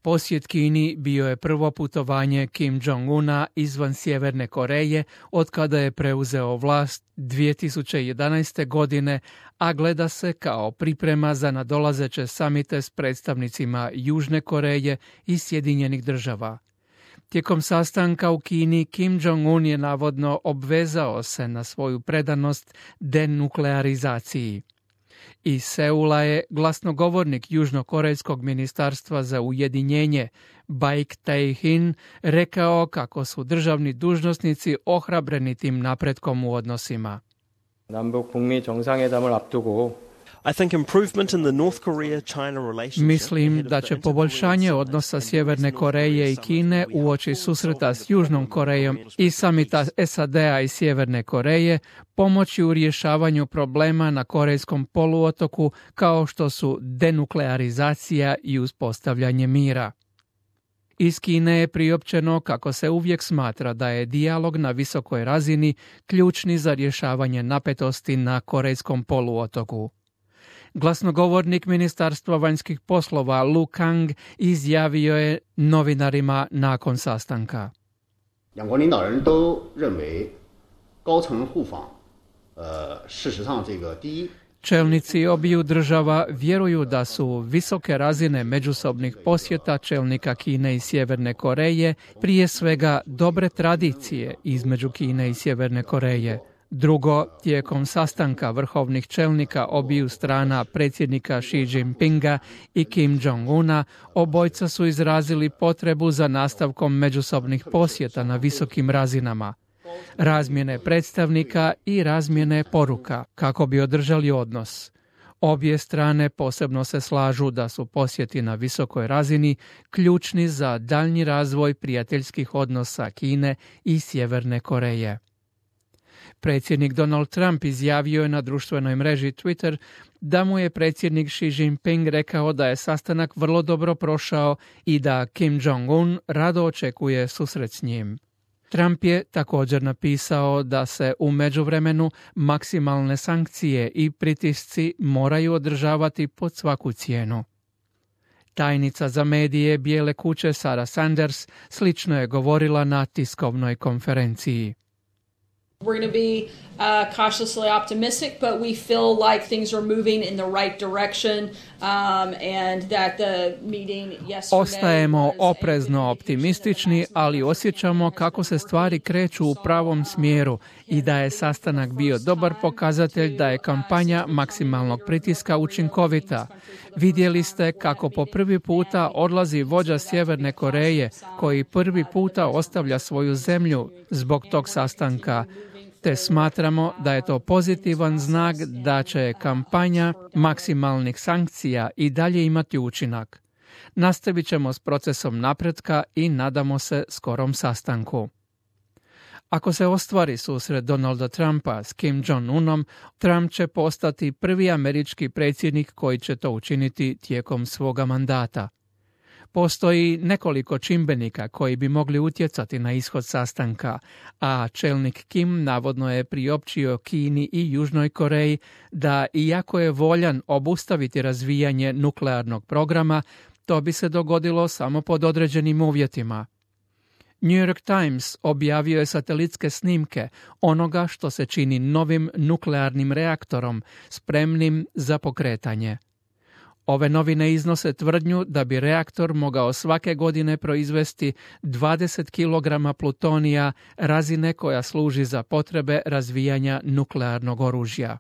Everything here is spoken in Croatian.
posjet Kini bio je prvo putovanje Kim Jong-una izvan Sjeverne Koreje od kada je preuzeo vlast 2011. godine, a gleda se kao priprema za nadolazeće samite s predstavnicima Južne Koreje i Sjedinjenih Država. Tijekom sastanka u Kini Kim Jong-un je navodno obvezao se na svoju predanost denuklearizaciji. Iz Seula je glasnogovornik Južnokorejskog ministarstva za ujedinjenje Baik Tae-hin rekao kako su državni dužnosnici ohrabreni tim napretkom u odnosima. Mislim da će poboljšanje odnosa Sjeverne Koreje i Kine uoči susreta s Južnom Korejom i samita SAD-a i Sjeverne Koreje pomoći u rješavanju problema na Korejskom poluotoku kao što su denuklearizacija i uspostavljanje mira. Iz Kine je priopćeno kako se uvijek smatra da je dijalog na visokoj razini ključni za rješavanje napetosti na Korejskom poluotoku. Glasnogovornik Ministarstva vanjskih poslova Lu Kang izjavio je novinarima nakon sastanka. Čelnici obiju država vjeruju da su visoke razine međusobnih posjeta čelnika Kine i Sjeverne Koreje prije svega dobre tradicije između Kine i Sjeverne Koreje. Drugo, tijekom sastanka vrhovnih čelnika obiju strana predsjednika Xi Jinpinga i Kim Jong-una, obojca su izrazili potrebu za nastavkom međusobnih posjeta na visokim razinama, razmjene predstavnika i razmjene poruka kako bi održali odnos. Obje strane posebno se slažu da su posjeti na visokoj razini ključni za daljnji razvoj prijateljskih odnosa Kine i Sjeverne Koreje. Predsjednik Donald Trump izjavio je na društvenoj mreži Twitter da mu je predsjednik Xi Jinping rekao da je sastanak vrlo dobro prošao i da Kim Jong-un rado očekuje susret s njim. Trump je također napisao da se u međuvremenu maksimalne sankcije i pritisci moraju održavati pod svaku cijenu. Tajnica za medije Bijele kuće Sarah Sanders slično je govorila na tiskovnoj konferenciji. We're going to be cautiously optimistic, but we feel like things are moving in the right direction and that the meeting yesterday... Ostajemo oprezno optimistični, ali osjećamo kako se stvari kreću u pravom smjeru i da je sastanak bio dobar pokazatelj da je kampanja maksimalnog pritiska učinkovita. Vidjeli ste kako po prvi puta odlazi vođa Sjeverne Koreje, koji prvi puta ostavlja svoju zemlju zbog tog sastanka, te smatramo da je to pozitivan znak da će kampanja maksimalnih sankcija i dalje imati učinak. Nastavit ćemo s procesom napretka i nadamo se skorom sastanku. Ako se ostvari susret Donalda Trumpa s Kim Jong-unom, Trump će postati prvi američki predsjednik koji će to učiniti tijekom svoga mandata. Postoji nekoliko čimbenika koji bi mogli utjecati na ishod sastanka, a čelnik Kim navodno je priopćio Kini i Južnoj Koreji da iako je voljan obustaviti razvijanje nuklearnog programa, to bi se dogodilo samo pod određenim uvjetima. New York Times objavio je satelitske snimke onoga što se čini novim nuklearnim reaktorom spremnim za pokretanje. Ove novine iznose tvrdnju da bi reaktor mogao svake godine proizvesti 20 kg plutonija, razine koja služi za potrebe razvijanja nuklearnog oružja.